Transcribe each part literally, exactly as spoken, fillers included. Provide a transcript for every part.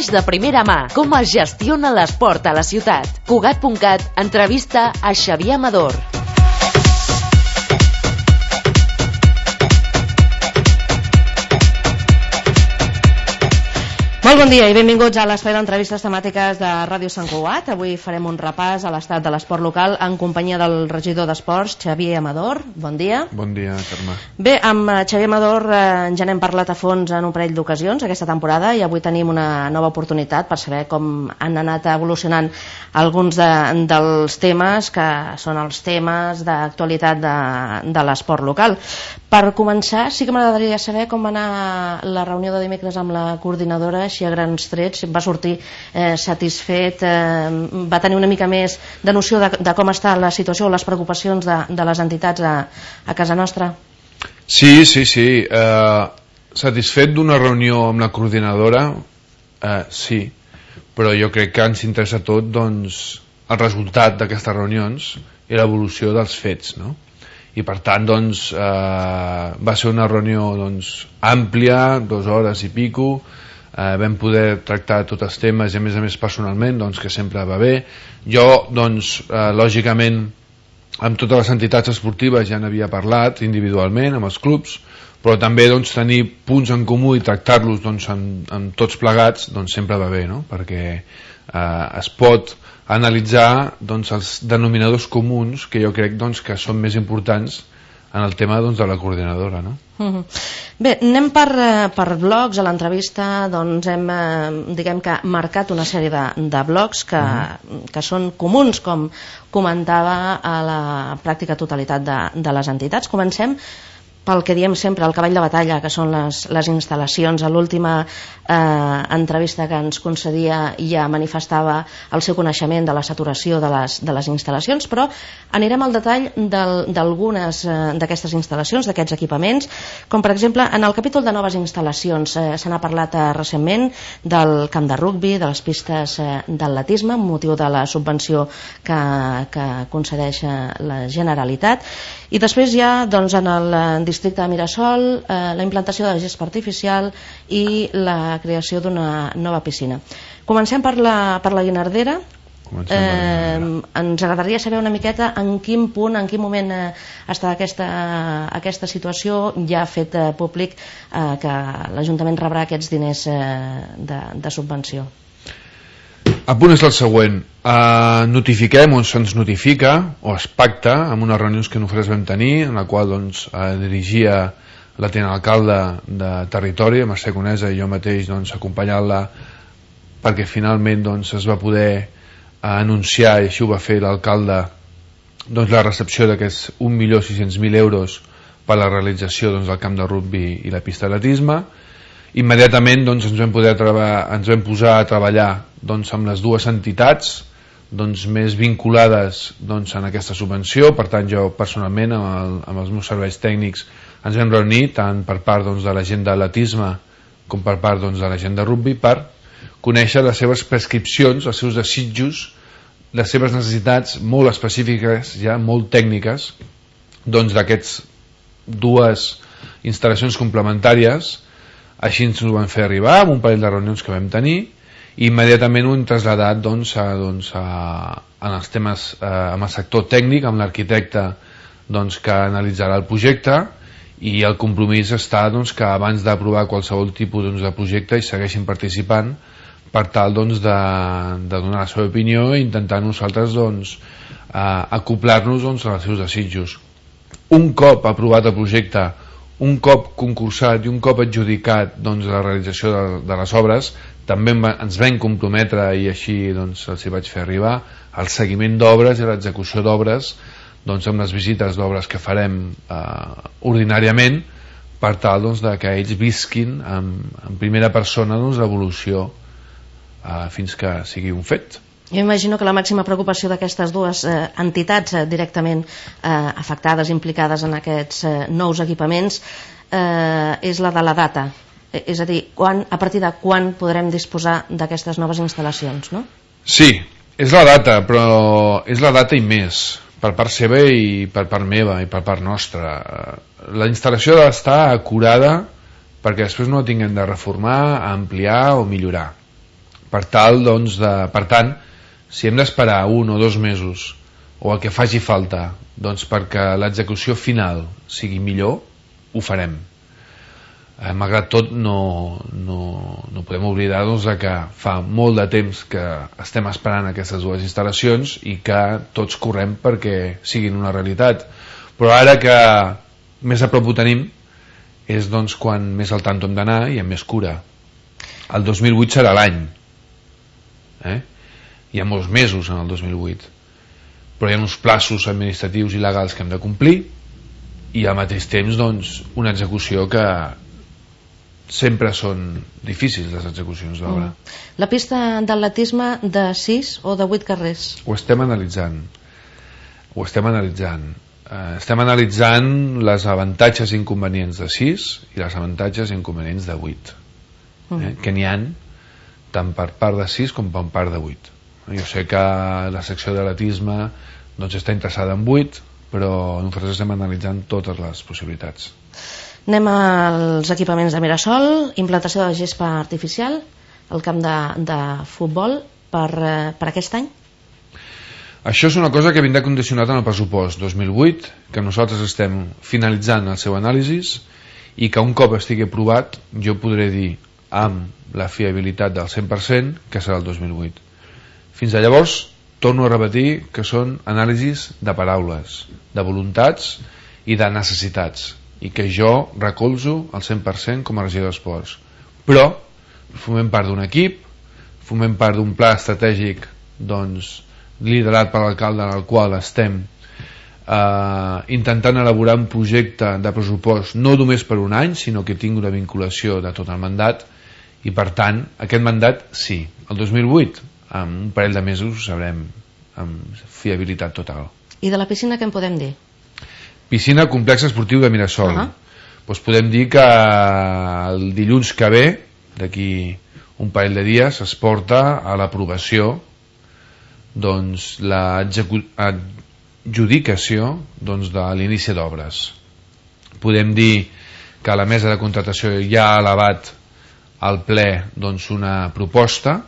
Notícies de primera mà. Com es gestiona l'esport a la ciutat. Cugat punt cat entrevista a Xavier Amador. Molt bon dia i benvinguts a l'espai d'entrevistes temàtiques de Ràdio Sant Cugat. Avui farem un repàs a l'estat de l'esport local en companyia del regidor d'Esports, Xavier Amador. Bon dia. Bon dia, Carme. Bé, amb Xavier Amador eh, ja n'hem parlat a fons en un parell d'ocasions aquesta temporada i avui tenim una nova oportunitat per saber com han anat evolucionant alguns de, dels temes que són els temes d'actualitat de, de l'esport local. Per començar, sí que m'agradaria saber com va anar la reunió de dimecres amb la coordinadora, així a grans trets. Va sortir eh, satisfet, eh, va tenir una mica més de noció de, de com està la situació o les preocupacions de, de les entitats a, a casa nostra? Sí, sí, sí. Eh, satisfet d'una reunió amb la coordinadora, eh, sí, però jo crec que ens interessa tot doncs, el resultat d'aquestes reunions i l'evolució dels fets, no? I per tant doncs, eh, va ser una reunió doncs, àmplia, dues hores i pico, eh, vam poder tractar tots els temes i a més a més personalment, doncs, que sempre va bé. Jo doncs, eh, lògicament amb totes les entitats esportives ja n'havia parlat individualment amb els clubs, però també doncs, tenir punts en comú i tractar-los doncs, amb, amb tots plegats doncs, sempre va bé, no? Perquè eh, es pot analitzar doncs, els denominadors comuns que jo crec doncs, que són més importants en el tema doncs, de la coordinadora, no? Uh-huh. Bé, anem per, per blocs. A l'entrevista doncs, hem eh, diguem que marcat una sèrie de, de blocs que, uh-huh. que són comuns, com comentava a la pràctica totalitat de, de les entitats. Comencem pel que diem sempre, el cavall de batalla, que són les, les instal·lacions. A l'última eh, entrevista que ens concedia ja manifestava el seu coneixement de la saturació de les, de les instal·lacions, però anirem al detall d'algunes eh, d'aquestes instal·lacions, d'aquests equipaments, com per exemple en el capítol de noves instal·lacions. Eh, se n'ha parlat eh, recentment del camp de rugbi, de les pistes eh, d'atletisme, amb motiu de la subvenció que, que concedeix eh, la Generalitat. I després hi ha doncs, en el districte de Mirasol eh, la implantació de la gespa artificial i la creació d'una nova piscina. Comencem per la, per la Guinardera. Eh, ens agradaria saber una miqueta en quin punt, en quin moment eh, està aquesta, aquesta situació. Ja ha fet eh, públic eh, que l'Ajuntament rebrà aquests diners eh, de, de subvenció. El punt és el següent. Uh, notifiquem o se'ns notifica o es pacta amb unes reunions que nosaltres vam tenir, en la qual doncs, uh, dirigia la tinent alcalde de territori, Mercè Conesa, i jo mateix doncs, acompanyant-la perquè finalment doncs, es va poder uh, anunciar, i així ho va fer l'alcalde, doncs, la recepció d'aquests un milió sis-cents mil euros per la realització doncs, del camp de rugbi i la pista d'atletisme. Immediatament doncs, ens, vam poder ens vam posar a treballar doncs, amb les dues entitats doncs, més vinculades doncs, en aquesta subvenció. Per tant, jo personalment amb, el, amb els meus serveis tècnics ens vam reunir tant per part doncs, de la gent d'atletisme com per part doncs, de la gent de rugbi per conèixer les seves prescripcions, els seus desitjos, les seves necessitats molt específiques, ja molt tècniques doncs, d'aquests dues instal·lacions complementàries. Així ens ho van fer arribar amb un parell de reunions que vam tenir i immediatament ho hem traslladat doncs, a, doncs, a, en els temes eh, amb el sector tècnic, amb l'arquitecte doncs, que analitzarà el projecte, i el compromís està doncs, que abans d'aprovar qualsevol tipus doncs, de projecte hi segueixin participant per tal doncs, de, de donar la seva opinió i intentar nosaltres doncs, eh, acoplar-nos doncs, als seus desitjos. Un cop aprovat el projecte, un cop concursat i un cop adjudicat doncs, la realització de, de les obres, també ens vam comprometre, i així doncs, els hi vaig fer arribar, el seguiment d'obres i l'execució d'obres doncs, amb les visites d'obres que farem eh, ordinàriament per tal doncs, de que ells visquin en, en primera persona doncs, l'evolució eh, fins que sigui un fet. Jo imagino que la màxima preocupació d'aquestes dues eh, entitats eh, directament eh, afectades, implicades en aquests eh, nous equipaments eh, és la de la data. Eh, és a dir, quan, a partir de quan podrem disposar d'aquestes noves instal·lacions, no? Sí, és la data, però és la data i més, per part seva i per part meva i per part nostra. La instal·lació ha d'estar acurada perquè després no la tinguem de reformar, ampliar o millorar. per tal doncs de, per tant, si hem d'esperar un o dos mesos o el que faci falta doncs perquè l'execució final sigui millor, ho farem. Eh, malgrat tot no, no, no podem oblidar doncs, que fa molt de temps que estem esperant aquestes dues instal·lacions i que tots correm perquè siguin una realitat, però ara que més a prop ho tenim és doncs, quan més al tanto hem d'anar i amb més cura. El dos mil vuit serà l'any, eh? Hi ha molts mesos en el dos mil vuit, però hi ha uns plaços administratius i legals que hem de complir i al mateix temps doncs, una execució que sempre són difícils, les execucions d'obra. Mm. La pista d'atletisme de sis o de vuit carrers? Ho estem analitzant. Ho estem analitzant. Eh, estem analitzant les avantatges i inconvenients de sis i les avantatges i inconvenients de vuit. Mm. Eh, que n'hi ha tant per part de sis com per part de vuit. Jo sé que la secció d'atletisme doncs, està interessada en vuit, però nosaltres estem analitzant totes les possibilitats. Anem als equipaments de Mirasol, implantació de gespa artificial, el camp de, de futbol per, per aquest any. Això és una cosa que vindrà condicionat en el pressupost dos mil vuit, que nosaltres estem finalitzant el seu anàlisi i que un cop estigui aprovat jo podré dir amb la fiabilitat del cent per cent que serà el dos mil vuit. Fins a llavors torno a repetir que són anàlisis de paraules, de voluntats i de necessitats, i que jo recolzo al cent per cent com a regidor d'esports, però formem part d'un equip, formem part d'un pla estratègic doncs, liderat per l'alcalde en el qual estem eh, intentant elaborar un projecte de pressupost no només per un any, sinó que tingui una vinculació de tot el mandat, i per tant aquest mandat sí, el dos mil vuit en un parell de mesos sabrem amb fiabilitat total. I de la piscina què en podem dir? Piscina complex esportiu de Mirasol. Uh-huh. Doncs podem dir que el dilluns que ve, d'aquí un parell de dies, es porta a l'aprovació doncs, l'adjudicació doncs, de l'inici d'obres. Podem dir que la mesa de contratació ja ha elevat al ple doncs, una proposta.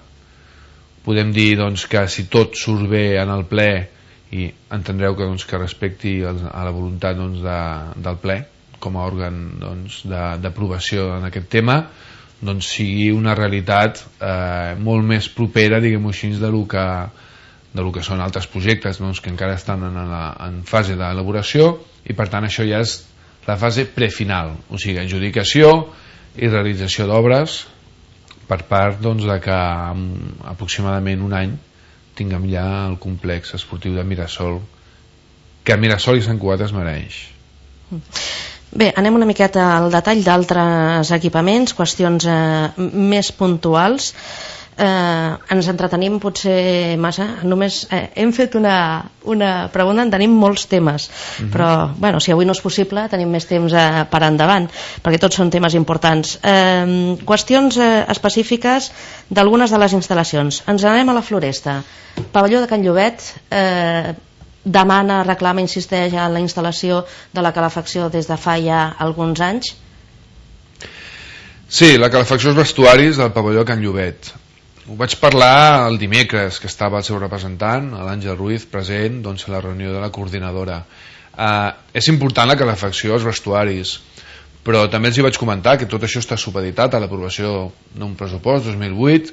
Podem dir doncs, que si tot surt bé en el ple, i entendreu que, doncs, que respecti el, a la voluntat doncs, de, del ple com a òrgan doncs, d'aprovació en aquest tema, doncs sigui una realitat eh, molt més propera, diguem-ho així, de lo que, de lo que són altres projectes doncs, que encara estan en, la, en fase d'elaboració, i per tant això ja és la fase prefinal, o sigui, adjudicació i realització d'obres per part doncs, de que en aproximadament un any tinguem ja el complex esportiu de Mirasol, que Mirasol i Sant Cugat es mereix. Bé, anem una miqueta al detall d'altres equipaments, qüestions eh, més puntuals. Eh, ens entretenim potser massa, només eh, hem fet una, una pregunta, en tenim molts temes, uh-huh. però bueno, si avui no és possible tenim més temps eh, per endavant, perquè tots són temes importants. Eh, qüestions eh, específiques d'algunes de les instal·lacions. Ens anem a la Floresta. Pavelló de Can Llobet eh, demana, reclama, insisteix en la instal·lació de la calefacció des de fa ja alguns anys. Sí, la calefacció als vestuaris del pavelló de Can Llobet. Ho vaig parlar el dimecres, que estava el seu representant, l'Àngel Ruiz, present doncs, a la reunió de la coordinadora. Eh, és important la calefacció als vestuaris, però també els hi vaig comentar que tot això està supeditat a l'aprovació d'un pressupost dos mil vuit,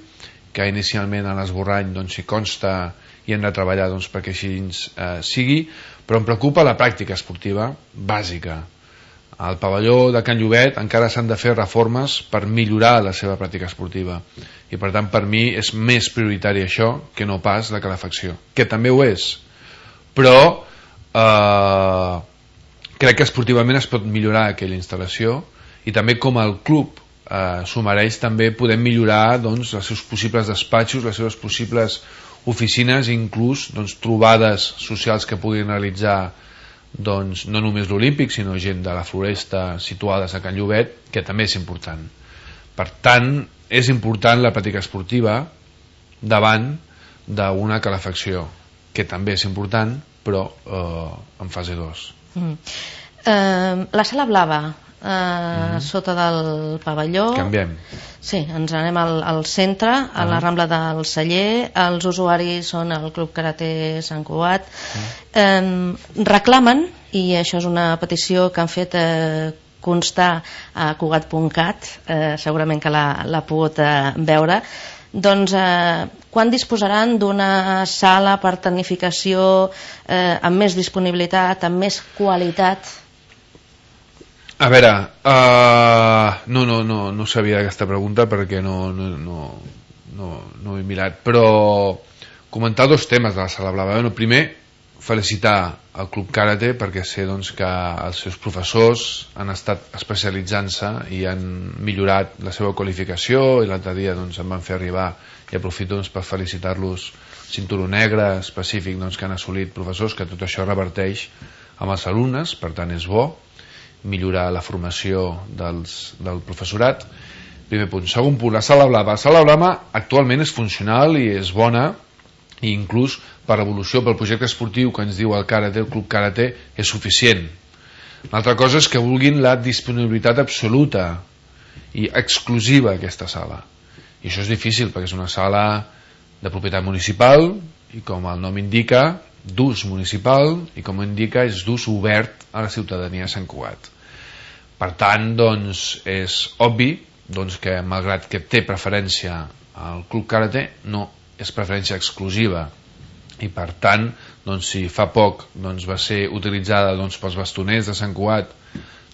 que inicialment a l'esborrany doncs, hi consta i hem de treballar doncs, perquè així eh, sigui, però em preocupa la pràctica esportiva bàsica. Al pavelló de Can Llobet encara s'han de fer reformes per millorar la seva pràctica esportiva, i per tant per mi és més prioritari això que no pas la calefacció, que també ho és, però eh, crec que esportivament es pot millorar aquella instal·lació, i també com el club eh, s'ho mereix, també podem millorar doncs, els seus possibles despatxos, les seves possibles oficines, inclús doncs, trobades socials que puguin realitzar doncs, no només l'Olímpic, sinó gent de la Floresta situades a Can Llobet, que també és important. Per tant, és important la pràctica esportiva davant d'una calefacció, que també és important, però eh, en fase dos. Mm. Eh, la Sala Blava, eh, mm. sota del pavelló. Canviem. Sí, ens anem al, al centre, a la Rambla del Celler. Els usuaris són el Club Karate Sant Cugat. Mm. Eh, reclamen, i això és una petició que han fet eh, constar a Cugat punt cat, eh, segurament que l'ha pogut eh, veure, doncs eh, quan disposaran d'una sala per tecnificació eh, amb més disponibilitat, amb més qualitat? A veure, uh, no, no, no, no sabia aquesta pregunta perquè no, no, no, no, no ho he mirat, però comentar dos temes de la Sala Blava. Bueno, primer, felicitar el Club Karate perquè sé doncs, que els seus professors han estat especialitzant-se i han millorat la seva qualificació, i l'altre dia doncs, em van fer arribar, i aprofito doncs, per felicitar-los, cinturó negre específic doncs, que han assolit professors, que tot això reverteix amb els alumnes, per tant és bo millorar la formació dels, del professorat. Primer punt. Segon punt, la Sala Blava. La Sala Blava actualment és funcional i és bona, i inclús per evolució, pel projecte esportiu que ens diu el Karate, el Club Karate, és suficient. L'altra cosa és que vulguin la disponibilitat absoluta i exclusiva aquesta sala, i això és difícil perquè és una sala de propietat municipal i, com el nom indica, d'ús municipal, i com indica és d'ús obert a la ciutadania de Sant Cugat. Per tant, doncs, és obvi doncs, que malgrat que té preferència al Club Karate, no és preferència exclusiva, i per tant doncs, si fa poc doncs, va ser utilitzada doncs, pels bastoners de Sant Cugat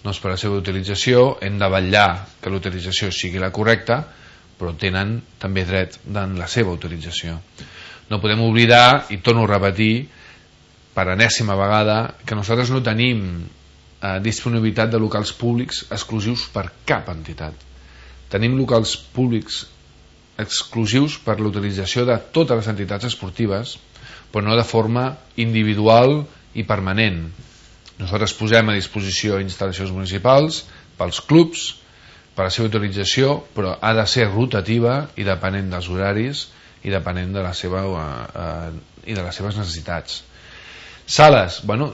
doncs, per la seva utilització, hem de vetllar que la utilització sigui la correcta, però tenen també dret en la seva utilització. No podem oblidar, i torno a repetir per enèsima vegada, que nosaltres no tenim eh, disponibilitat de locals públics exclusius per cap entitat. Tenim locals públics exclusius per l'utilització de totes les entitats esportives, però no de forma individual i permanent. Nosaltres posem a disposició instal·lacions municipals pels clubs, per la seva utilització, però ha de ser rotativa i depenent dels horaris i depenent de la seva, eh, i de les seves necessitats. Sales, bueno,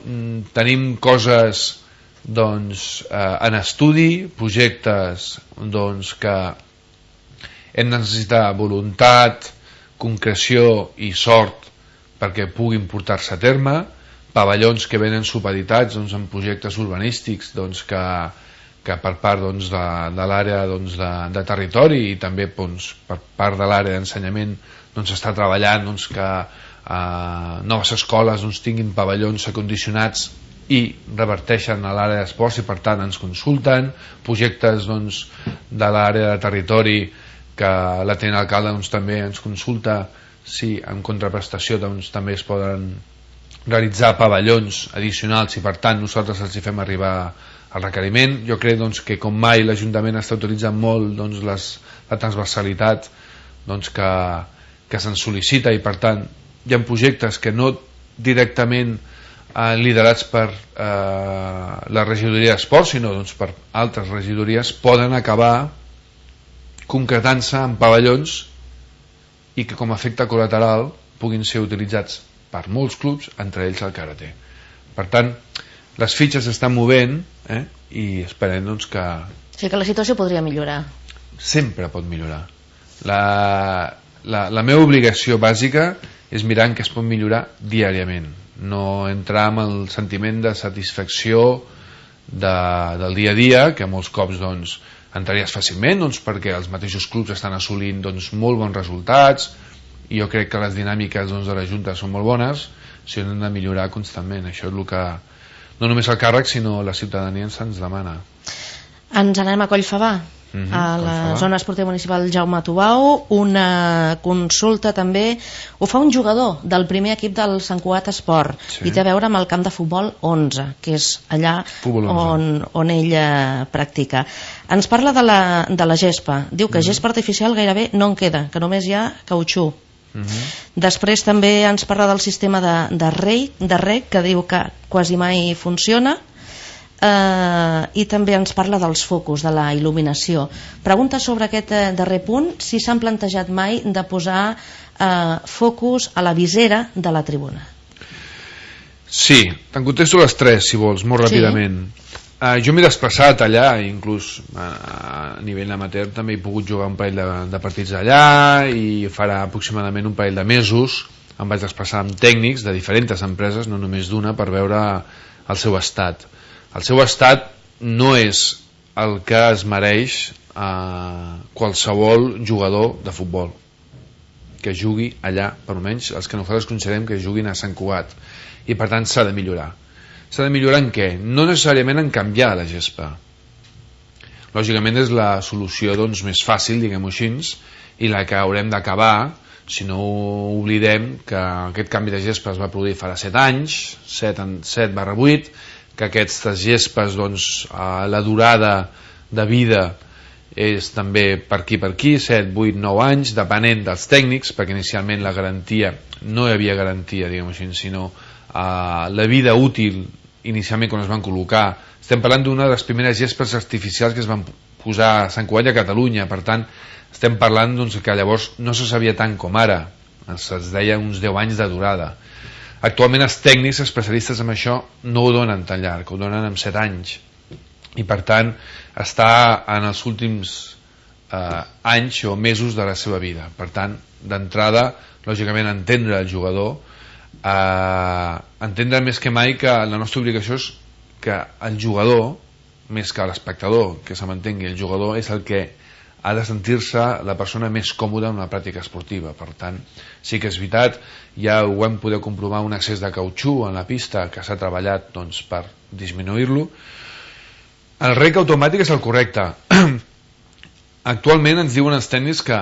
tenim coses doncs, eh, en estudi, projectes doncs, que hem de necessitar voluntat, concreció i sort perquè puguin portar-se a terme, pavellons que venen supeditats doncs, en projectes urbanístics doncs, que, que per part doncs, de, de l'àrea doncs, de, de territori i també doncs, per part de l'àrea d'ensenyament doncs, està treballant doncs, que eh, noves escoles doncs, tinguin pavellons acondicionats i reverteixen a l'àrea d'esports i per tant ens consulten, projectes doncs, de l'àrea de territori que la tenent alcalde doncs, també ens consulta si en contraprestació doncs, també es poden realitzar pavellons addicionals i per tant nosaltres els hi fem arribar el requeriment. Jo crec doncs, que com mai l'Ajuntament està utilitzant molt doncs, les, la transversalitat doncs, que, que se'n sol·licita i per tant hi ha projectes que no directament eh, liderats per eh, la regidoria d'esports sinó doncs, per altres regidories poden acabar concretant-se en pavellons i que com a efecte col·lateral puguin ser utilitzats per molts clubs, entre ells el karate. Per tant, les fitxes s'estan movent eh, i esperem doncs, que... Sí, que la situació podria millorar. Sempre pot millorar. La, la, la meva obligació bàsica és mirar en què es pot millorar diàriament, no entrar amb el sentiment de satisfacció de, del dia a dia, que molts cops doncs, entraries fàcilment doncs, perquè els mateixos clubs estan assolint doncs, molt bons resultats i jo crec que les dinàmiques doncs, de la Junta són molt bones, si hem de millorar constantment. Això és el que no només el càrrec sinó la ciutadania ens demana. Ens anem a Collfabà, mm-hmm, a la Collfabà. Zona esportiva municipal Jaume Tubau. Una consulta també ho fa un jugador del primer equip del Sant Cugat Esport, sí. I té a veure amb el camp de futbol onze, que és allà on, on ell eh, practica. Ens parla de la, de la gespa. Diu que mm-hmm. gespa artificial gairebé no en queda, que només hi ha cautxú. Mm-hmm. Després també ens parla del sistema de, de, rei, de rec, que diu que quasi mai funciona. Uh, i també ens parla dels focus, de la il·luminació. Pregunta sobre aquest uh, darrer punt si s'han plantejat mai de posar uh, focus a la visera de la tribuna. Sí, te'n contesto les tres si vols, molt ràpidament. Sí. Uh, jo m'he desplaçat allà, inclús a, a nivell amateur també he pogut jugar un parell de, de partits allà, i farà aproximadament un parell de mesos em vaig desplaçar amb tècnics de diferents empreses, no només d'una, per veure el seu estat. El seu estat no és el que es mereix uh, qualsevol jugador de futbol que jugui allà, per almenys els que nosaltres considerem que juguin a Sant Cugat, i per tant s'ha de millorar. S'ha de millorar en què? No necessàriament en canviar la gespa. Lògicament és la solució doncs, més fàcil, diguem-ho així, i la que haurem d'acabar, si no oblidem que aquest canvi de gespa es va produir farà set anys, set barra vuit, que aquestes gespes, doncs, la durada de vida és també per aquí per aquí, set, vuit, nou anys, depenent dels tècnics, perquè inicialment la garantia, no hi havia garantia, diguem-ho així, sinó Uh, la vida útil inicialment quan es van col·locar. Estem parlant d'una de les primeres gespes artificials que es van posar a Sant Cugat i a Catalunya, per tant estem parlant doncs, que llavors no se sabia tant com ara, es deia uns deu anys de durada. Actualment els tècnics especialistes en això no ho donen tan llarg, ho donen en set anys, i per tant està en els últims uh, anys o mesos de la seva vida. Per tant, d'entrada, lògicament entendre el jugador, Uh, entendre més que mai que la nostra obligació és que el jugador, més que l'espectador, que se m'entengui, el jugador és el que ha de sentir-se la persona més còmoda en una pràctica esportiva. Per tant, sí que és veritat, ja ho hem poder comprovar, un excés de cautxú en la pista que s'ha treballat doncs, per disminuir-lo. El rec automàtic és el correcte. Actualment ens diuen els tècnics que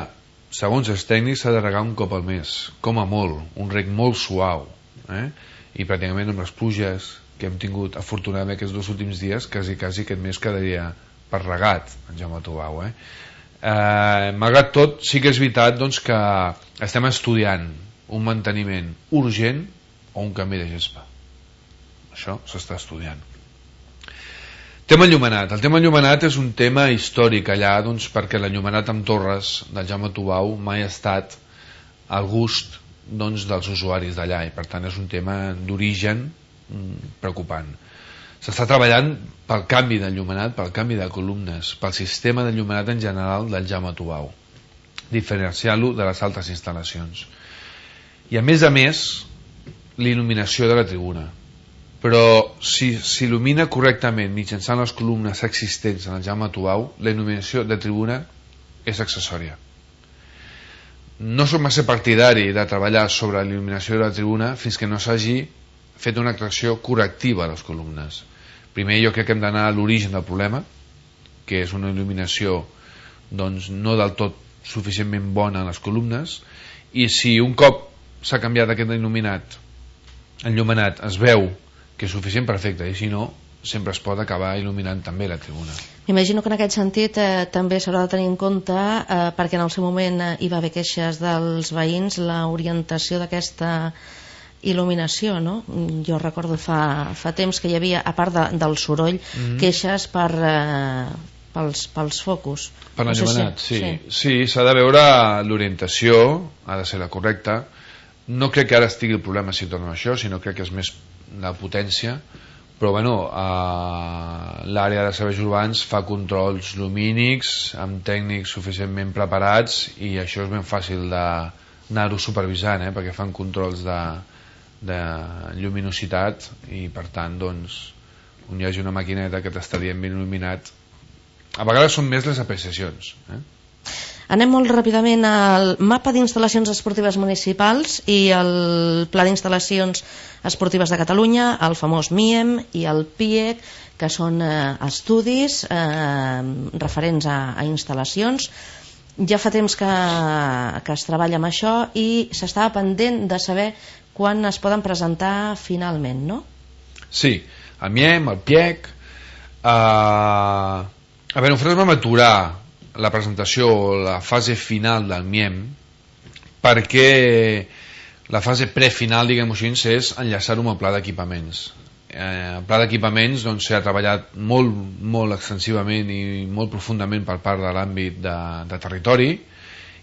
segons els tècnics s'ha de regar un cop al mes, com a molt, un rec molt suau, eh? I pràcticament amb les pluges que hem tingut afortunadament aquests dos últims dies, quasi quasi aquest mes quedaria per regat en Jaume Tubau, eh? Eh, malgrat tot, sí que és veritat doncs, que estem estudiant un manteniment urgent o un canvi de gespa. Això s'està estudiant. Tema enllumenat. El tema enllumenat és un tema històric allà, doncs, perquè l'enllumenat amb torres del Jaume Tubau mai ha estat al gust doncs, dels usuaris d'allà, i per tant és un tema d'origen preocupant. S'està treballant pel canvi d'enllumenat, pel canvi de columnes, pel sistema d'enllumenat en general del Jaume Tubau, diferenciant-lo de les altres instal·lacions. I a més a més, l'il·luminació de la tribuna. Però si s'il·lumina correctament mitjançant les columnes existents en el Jaume Tubau, la il·luminació de tribuna és accessòria. No som massa partidari de treballar sobre la il·luminació de la tribuna fins que no s'hagi fet una actuació correctiva a les columnes. Primer jo crec que hem d'anar a l'origen del problema, que és una il·luminació doncs, no del tot suficientment bona en les columnes, i si un cop s'ha canviat aquest il·luminat, enllumenat, es veu que és suficient, perfecte, i si no sempre es pot acabar il·luminant també la tribuna. M'imagino que en aquest sentit eh, també s'haurà de tenir en compte, eh, perquè en el seu moment eh, hi va haver queixes dels veïns, l'orientació d'aquesta il·luminació, no? Jo recordo fa, fa temps que hi havia, a part de, del soroll, mm-hmm. queixes per, eh, pels, pels focus. Per l'enllumenat, no sé si... sí. Sí, s'ha sí, de veure l'orientació, ha de ser la correcta. No crec que ara estigui el problema si tornem a això, sinó crec que és més la potència, però bueno, eh, l'àrea de serveis urbans fa controls lumínics amb tècnics suficientment preparats, i això és ben fàcil d'anar-ho supervisant, eh, perquè fan controls de, de lluminositat, i per tant doncs, on hi hagi una maquineta que t'està dient ben il·luminat, a vegades són més les apreciacions, eh? Anem molt ràpidament al mapa d'instal·lacions esportives municipals i el Pla d'Instal·lacions Esportives de Catalunya, el famós M I E M i el P I E C, que són eh, estudis eh, referents a, a instal·lacions. Ja fa temps que, que es treballa amb això i s'estava pendent de saber quan es poden presentar finalment, no? Sí, el M I E M, el P I E C. Uh, a veure, nosaltres vam aturar la presentació, la fase final del M I E M, perquè la fase prefinal, diguem-ho així, és enllaçar-ho amb el pla d'equipaments. Eh, el pla d'equipaments doncs, s'ha treballat molt, molt extensivament i molt profundament per part de l'àmbit de, de territori,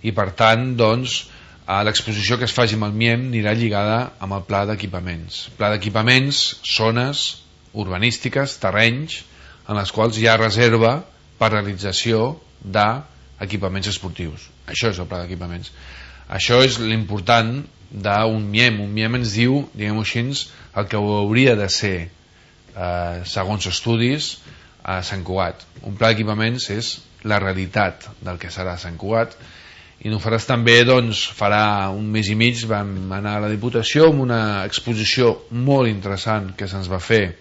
i per tant doncs, l'exposició que es faci amb el M I E M anirà lligada amb el pla d'equipaments. Pla d'equipaments, zones urbanístiques, terrenys, en les quals hi ha reserva per realització d'equipaments esportius. Això és el pla d'equipaments. Això és l'important d'un M I E M. Un M I E M ens diu, diguem-ho així, el que hauria de ser, eh, segons estudis, a Sant Cugat. Un pla d'equipaments és la realitat del que serà Sant Cugat. I nosaltres també doncs, farà un mes i mig vam anar a la Diputació amb una exposició molt interessant que se'ns va fer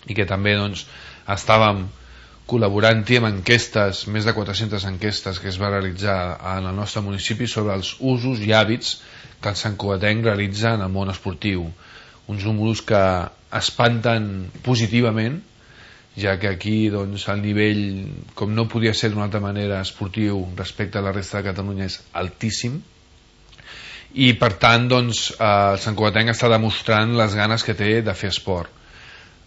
i que també doncs, estàvem col·laborant-hi amb enquestes, més de quatre-centes enquestes que es va realitzar en el nostre municipi sobre els usos i hàbits que el santcugatenc realitza en el món esportiu. Uns números que espanten positivament, ja que aquí doncs, el nivell, com no podia ser d'una altra manera, esportiu respecte a la resta de Catalunya és altíssim, i per tant doncs, eh, el santcugatenc està demostrant les ganes que té de fer esport.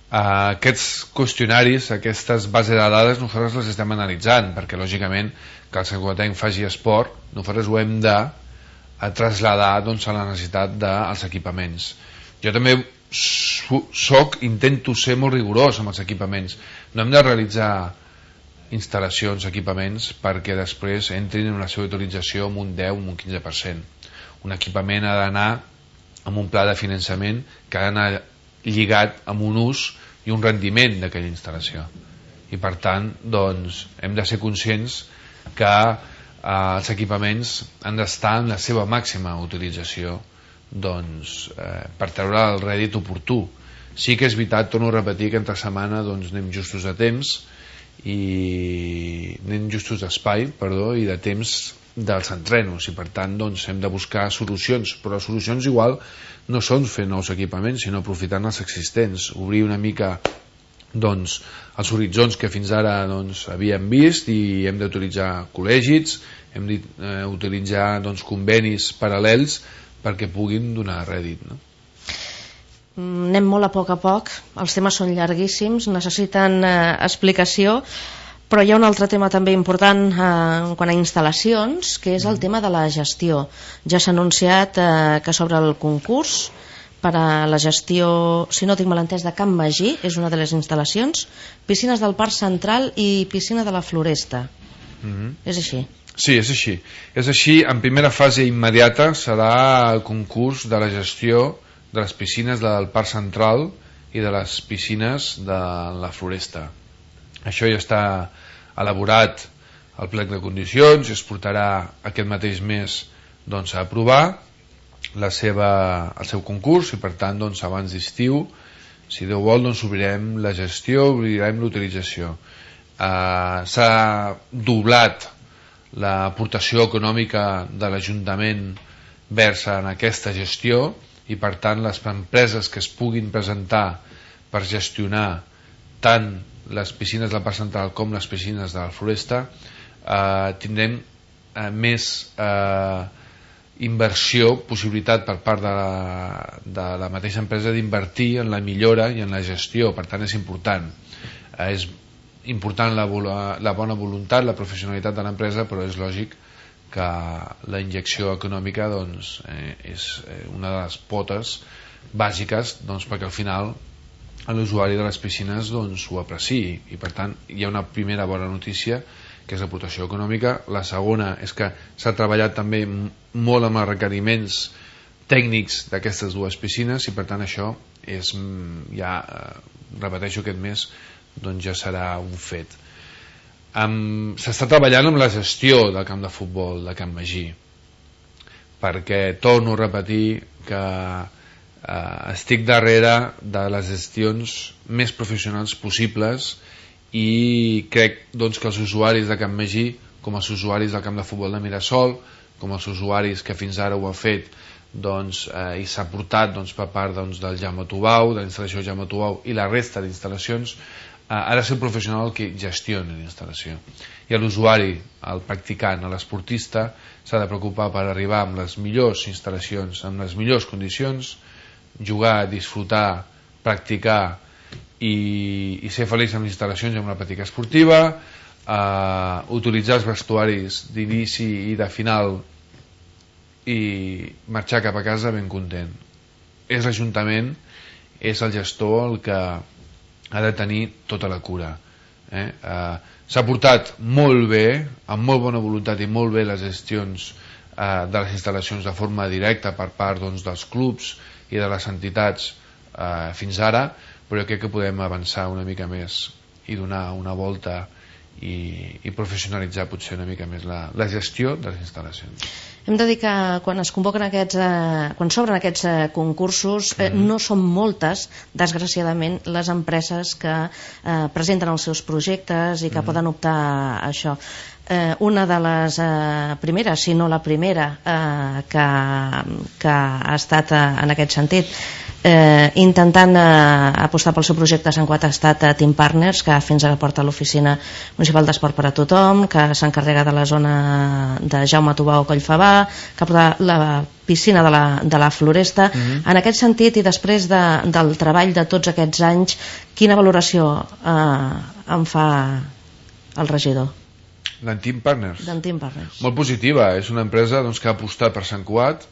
Eh, aquests qüestionaris, aquestes bases de dades, nosaltres les estem analitzant, perquè lògicament que el santcugatenc faci esport, nosaltres ho hem de a traslladar doncs, a la necessitat dels equipaments. Jo també soc, intento ser molt rigorós amb els equipaments. No hem de realitzar instal·lacions, equipaments, perquè després entrin en la seva utilització amb un deu, amb un quinze per cent. Un equipament ha d'anar amb un pla de finançament que ha d'anar lligat amb un ús i un rendiment d'aquella instal·lació. I per tant, doncs, hem de ser conscients que eh, els equipaments han d'estar en la seva màxima utilització, doncs, eh, per treure el rèdit oportú. Sí que és veritat, torno a repetir, que entre setmana doncs, anem justos de temps i anem justos d'espai, perdó, i de temps dels entrenos, i per tant doncs, hem de buscar solucions, però les solucions igual no són fer nous equipaments, sinó aprofitant els existents, obrir una mica doncs, els horitzons que fins ara doncs, havíem vist, i hem d'utilitzar col·legis, hem d'utilitzar doncs, convenis paral·lels perquè puguin donar rèdit, no? Anem molt a poc a poc, els temes són llarguíssims, necessiten eh, explicació, però hi ha un altre tema també important eh, quan a instal·lacions, que és el tema de la gestió. Ja s'ha anunciat eh, que s'obre el concurs per a la gestió, si no tinc mal entès, de Can Magí, és una de les instal·lacions, piscines del Parc Central i piscina de la Floresta. Mm-hmm. És així? Sí, és així. És així, en primera fase immediata serà el concurs de la gestió de les piscines del Parc Central i de les piscines de la Floresta. Això ja està elaborat al plec de condicions i es portarà aquest mateix mes doncs, a aprovar la seva, el seu concurs, i per tant doncs, abans d'estiu, si Déu vol, doncs, obrirem la gestió, obrirem l'utilització. Eh, s'ha doblat l'aportació econòmica de l'Ajuntament versa en aquesta gestió, i per tant les empreses que es puguin presentar per gestionar tant les piscines del Parc Central com les piscines de la Floresta eh, tindrem eh, més eh, inversió, possibilitat per part de la, de la mateixa empresa d'invertir en la millora i en la gestió. Per tant és important eh, és important la, la bona voluntat, la professionalitat de l'empresa, però és lògic que la injecció econòmica doncs, eh, és una de les potes bàsiques doncs, perquè al final l'usuari de les piscines doncs, ho apreciï, i per tant hi ha una primera bona notícia que és l'aportació econòmica. La segona és que s'ha treballat també molt amb els requeriments tècnics d'aquestes dues piscines, i per tant això és, ja repeteixo, aquest mes doncs, ja serà un fet. Um, s'està treballant amb la gestió del camp de futbol de Can Magí, perquè torno a repetir que uh, estic darrere de les gestions més professionals possibles, i crec doncs, que els usuaris de Can Magí, com els usuaris del camp de futbol de Mirasol, com els usuaris que fins ara ho han fet doncs, eh, i s'ha portat doncs, per part doncs, del Jaume Tubau, de la instal·lació Jaume Tubau i la resta d'instal·lacions, ha de ser el professional que gestioni la instal·lació, i l'usuari, el practicant, l'esportista s'ha de preocupar per arribar amb les millors instal·lacions, amb les millors condicions, jugar, disfrutar, practicar i, i ser feliç amb les instal·lacions i amb la pràctica esportiva, eh, utilitzar els vestuaris d'inici i de final i marxar cap a casa ben content. És l'Ajuntament, és el gestor el que ha de tenir tota la cura. eh? Eh, s'ha portat molt bé, amb molt bona voluntat i molt bé les gestions eh, de les instal·lacions de forma directa per part doncs, dels clubs i de les entitats eh, fins ara, però jo crec que podem avançar una mica més i donar una volta i, i professionalitzar potser una mica més la, la gestió de les instal·lacions. Hem de dir que quan es convoquen aquests, eh, quan s'obren aquests eh, concursos, eh, mm. no són moltes, desgraciadament, les empreses que eh, presenten els seus projectes i que mm. poden optar a això. Eh, una de les eh, primeres, si no la primera, eh, que, que ha estat eh, en aquest sentit, eh, intentant eh, apostar pel seu projecte a Sant Cugat ha estat eh, Team Partners, que fins ara porta l'Oficina Municipal d'Esport per a Tothom, que s'encarrega de la zona de Jaume Tubau Collfabà, que porta la piscina de la, de la Floresta. Mm-hmm. En aquest sentit, i després de, del treball de tots aquests anys, quina valoració eh, en fa el regidor? D'en Team Partners? D'en Team Partners. Molt positiva, és una empresa doncs, que ha apostat per Sant Cugat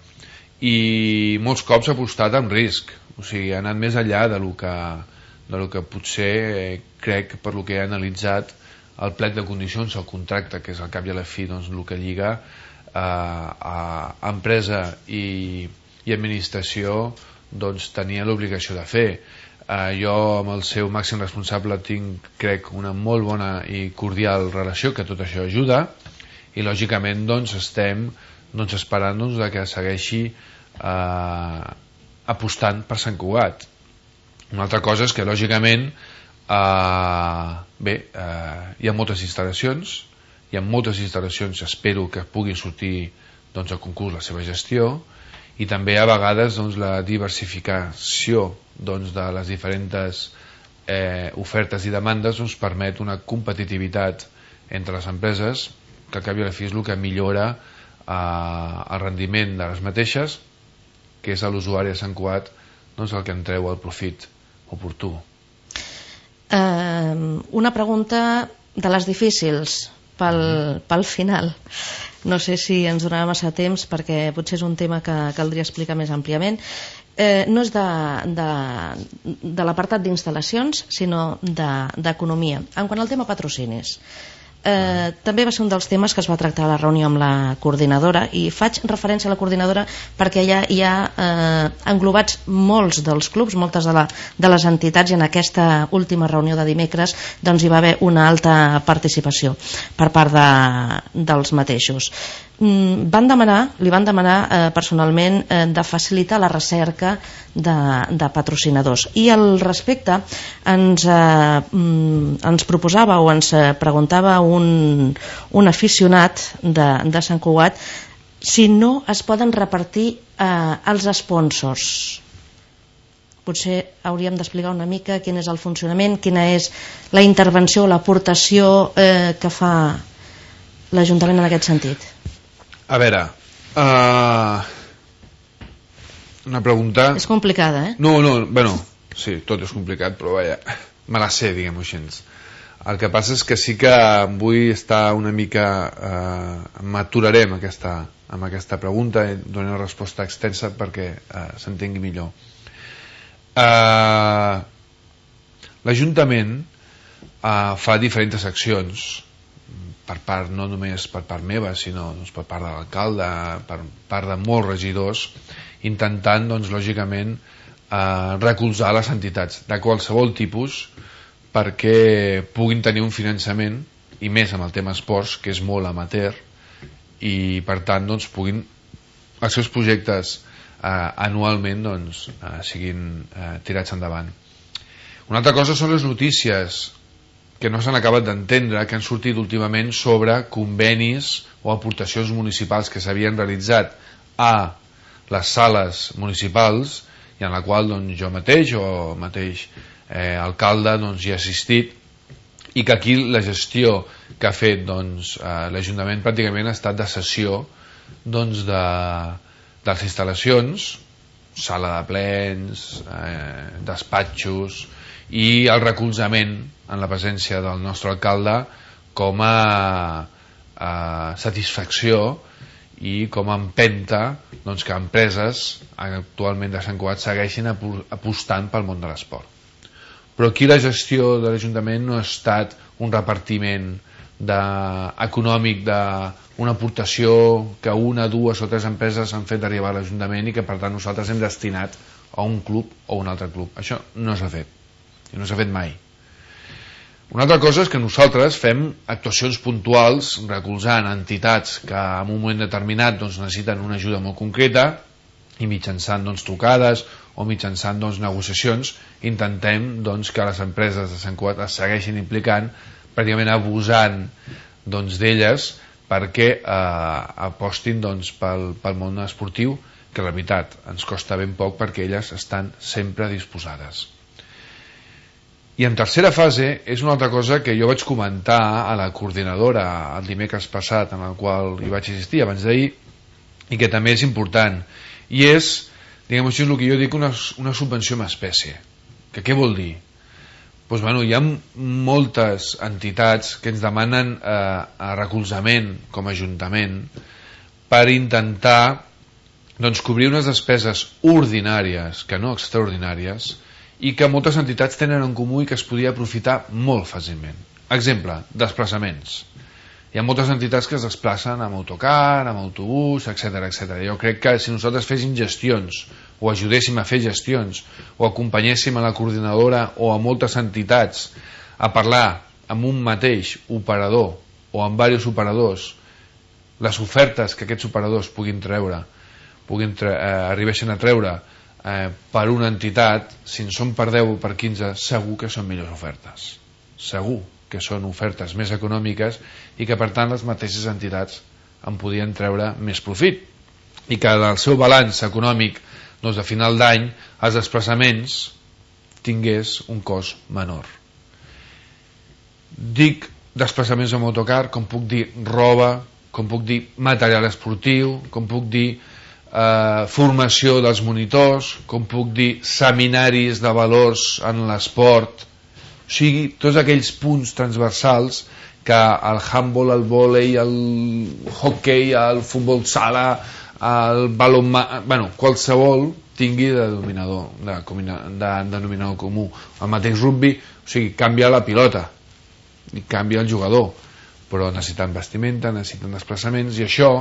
i molts cops ha apostat amb risc, o sigui, ha anat més enllà de lo que, de lo que potser eh, crec, per lo que he analitzat el plec de condicions, el contracte, que és al cap i a la fi doncs, el que lliga eh, a empresa i, i administració, doncs tenia l'obligació de fer. Uh, jo amb el seu màxim responsable tinc, crec, una molt bona i cordial relació, que tot això ajuda, i lògicament doncs estem doncs, esperant doncs, que segueixi uh, apostant per Sant Cugat. Una altra cosa és que lògicament uh, bé, uh, hi ha moltes instal·lacions, hi ha moltes instal·lacions, espero que puguin sortir doncs, a concurs la seva gestió, i també a vegades doncs, la diversificació doncs, de les diferents eh, ofertes i demandes doncs, permet una competitivitat entre les empreses que al cap i a la fi és el que millora eh, el rendiment de les mateixes, que és a l'usuari de Sant Cugat doncs, el que en treu el profit oportú. Uh, una pregunta de les difícils pel, mm. pel final. No sé si ens donarà massa temps perquè potser és un tema que caldria explicar més àmpliament. Eh, no és de, de, de l'apartat d'instal·lacions, sinó d'economia. De, en quant al tema patrocinis, eh, també va ser un dels temes que es va tractar a la reunió amb la coordinadora, i faig referència a la coordinadora perquè allà hi ha eh, englobats molts dels clubs, moltes de, la, de les entitats, i en aquesta última reunió de dimecres doncs, hi va haver una alta participació per part de, dels mateixos. Mm, van demanar, li van demanar eh, personalment eh, de facilitar la recerca de, de patrocinadors, i al respecte ens, eh, mm, ens proposava o ens preguntava un, un aficionat de, de Sant Cugat si no es poden repartir eh, els sponsors. Potser hauríem d'explicar una mica quin és el funcionament, quina és la intervenció, l'aportació eh, que fa l'Ajuntament en aquest sentit. A veure, uh, una pregunta... És complicada, eh? No, no, bueno, sí, tot és complicat, però vaja, me la sé, diguem-ho així. El que passa és que sí que vull estar una mica... Uh, m'aturaré amb aquesta, amb aquesta pregunta i donaré una resposta extensa perquè uh, s'entengui millor. Uh, L'Ajuntament uh, fa diferents accions per part, no només per part meva, sinó doncs, per part de l'alcalde, per part de molts regidors, intentant, doncs, lògicament, eh, recolzar les entitats de qualsevol tipus perquè puguin tenir un finançament, i més amb el tema esports, que és molt amateur, i per tant doncs, puguin els seus projectes eh, anualment doncs, eh, siguin eh, tirats endavant. Una altra cosa són les notícies que no s'han acabat d'entendre, que han sortit últimament sobre convenis o aportacions municipals que s'havien realitzat a les sales municipals, i en la qual doncs, jo mateix o mateix eh, alcalde doncs, hi ha assistit, i que aquí la gestió que ha fet doncs, eh, l'Ajuntament pràcticament ha estat de cessió doncs, de, de les instal·lacions, sala de plens, eh, despatxos, i el recolzament en la presència del nostre alcalde com a, a satisfacció i com a empenta doncs, que empreses actualment de Sant Cugat segueixin apostant pel món de l'esport. però aquí la gestió de l'Ajuntament no ha estat un repartiment de, econòmic d'una aportació que una, dues o tres empreses han fet arribar a l'Ajuntament i que per tant nosaltres hem destinat a un club o un altre club. Això no s'ha fet, i no s'ha fet mai. Una altra cosa és que nosaltres fem actuacions puntuals recolzant entitats que en un moment determinat doncs, necessiten una ajuda molt concreta i mitjançant doncs, trucades o mitjançant doncs, negociacions intentem doncs, que les empreses de Sant Cugat es segueixin implicant, pràcticament abusant doncs, d'elles perquè eh, apostin doncs, pel, pel món esportiu, que la veritat ens costa ben poc perquè elles estan sempre disposades. I en tercera fase és una altra cosa que jo vaig comentar a la coordinadora el dimecres passat, en el qual hi vaig assistir abans d'ahir, i que també és important, i és, diguem així, el que jo dic una, una subvenció en espècie. Que què vol dir? Pues, bueno, hi ha moltes entitats que ens demanen eh, recolzament com a Ajuntament per intentar doncs, cobrir unes despeses ordinàries, que no extraordinàries, i que moltes entitats tenen en comú i que es podria aprofitar molt fàcilment. Exemple, desplaçaments. Hi ha moltes entitats que es desplacen amb autocar, amb autobús, etcètera, etcètera. Jo crec que si nosaltres féssim gestions, o ajudéssim a fer gestions, o acompanyéssim a la coordinadora o a moltes entitats a parlar amb un mateix operador o amb diversos operadors les ofertes que aquests operadors puguin treure, puguin tre eh, arribeixen a treure Eh, per una entitat, si en són per deu o per quinze, segur que són millors ofertes, segur que són ofertes més econòmiques i que per tant les mateixes entitats en podien treure més profit i que del seu balanç econòmic doncs a final d'any els desplaçaments tingués un cost menor. Dic desplaçaments amb autocar, com puc dir roba, com puc dir material esportiu, com puc dir Eh, formació dels monitors, com puc dir seminaris de valors en l'esport, o sigui, tots aquells punts transversals que el handball, el vòlei, el hockey, el futbol sala, el balonmà, bueno, qualsevol tingui de denominador, de, de denominador comú. El mateix rugby, o sigui, canvia la pilota i canvia el jugador, però necessiten vestimenta, necessiten desplaçaments, i això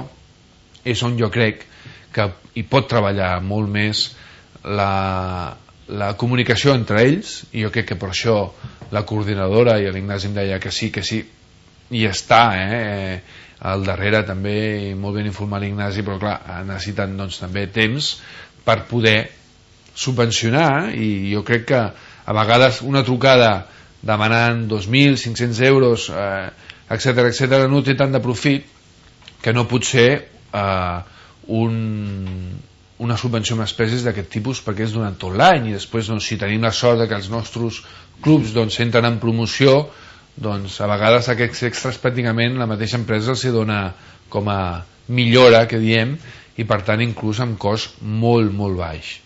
és on jo crec que hi pot treballar molt més la, la comunicació entre ells, i jo crec que per això la coordinadora i l'Ignasi em deia que sí, que sí, i està eh? al darrere també, molt ben informat l'Ignasi, però clar, necessiten doncs, també temps per poder subvencionar, i jo crec que a vegades una trucada demanant dos mil cinc-cents euros eh, etcètera, etcètera, no té tant de profit que no pot ser eh, Un, una subvenció amb espècies d'aquest tipus, perquè és durant tot l'any, i després doncs, si tenim la sort de que els nostres clubs doncs, entren en promoció, doncs a vegades aquests extras pràcticament la mateixa empresa els dona com a millora, que diem, i per tant inclús amb cost molt molt baix.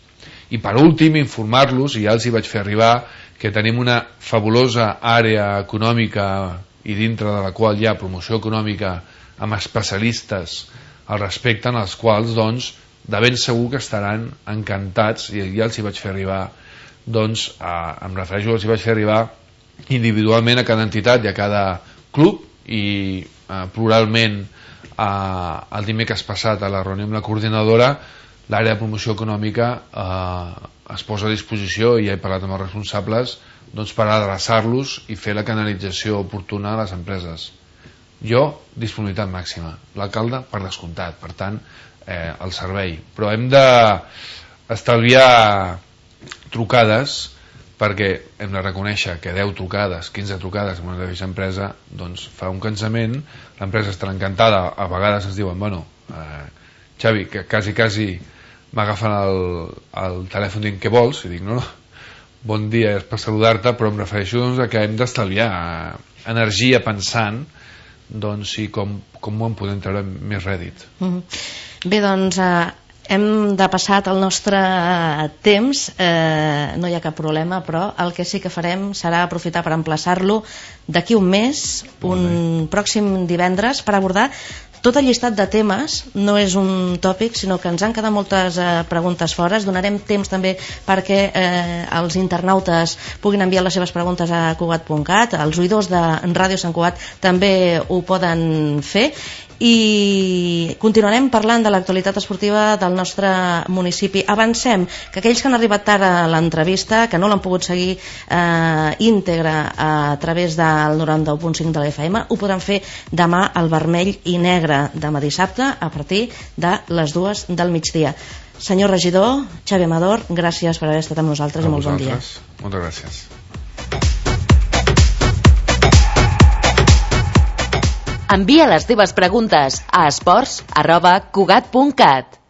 I per últim informar-los, i ja els hi vaig fer arribar, que tenim una fabulosa àrea econòmica i dintre de la qual hi ha promoció econòmica amb especialistes al respecte, en els quals doncs de ben segur que estaran encantats, i ja els hi vaig fer arribar doncs, a, em refereixo, els hi vaig fer arribar individualment a cada entitat i a cada club, i eh, pluralment eh, el dimecres passat a la reunió amb la coordinadora l'àrea de promoció econòmica eh, es posa a disposició, i ja he parlat amb els responsables doncs, per adreçar-los i fer la canalització oportuna a les empreses. Jo, disponibilitat màxima, l'alcalde per descomptat, per tant eh, el servei, però hem d'estalviar trucades, perquè hem de reconèixer que deu trucades, quinze trucades en una mateixa empresa doncs fa un cansament, l'empresa estarà encantada, a vegades ens diuen bueno, eh, Xavi, que quasi quasi m'agafen el, el telèfon dient què vols, i dic no, no, bon dia, és per saludar-te, però em refereixo doncs, a que hem d'estalviar energia pensant doncs sí, com, com en podem treure més rèdit. Mm. Bé, doncs eh, hem de passar el nostre temps, eh, no hi ha cap problema, però el que sí que farem serà aprofitar per emplaçar-lo d'aquí un mes, un pròxim divendres, per abordar tot el llistat de temes no és un tòpic, sinó que ens han quedat moltes eh, preguntes fora. Donarem temps també perquè eh, els internautes puguin enviar les seves preguntes a Cugat punt cat, els oïdors de Ràdio Sant Cugat també ho poden fer, i continuarem parlant de l'actualitat esportiva del nostre municipi. Avancem que aquells que han arribat tard a l'entrevista, que no l'han pogut seguir eh, íntegra a través del noranta-u punt cinc de la F M, ho podran fer demà al vermell i negre, demà dissabte a partir de les dues del migdia. Senyor regidor, Xavi Amador, gràcies per haver estat amb nosaltres i molt bon dia. Moltes gràcies. Envia les teves preguntes a esports arroba cugat punt cat.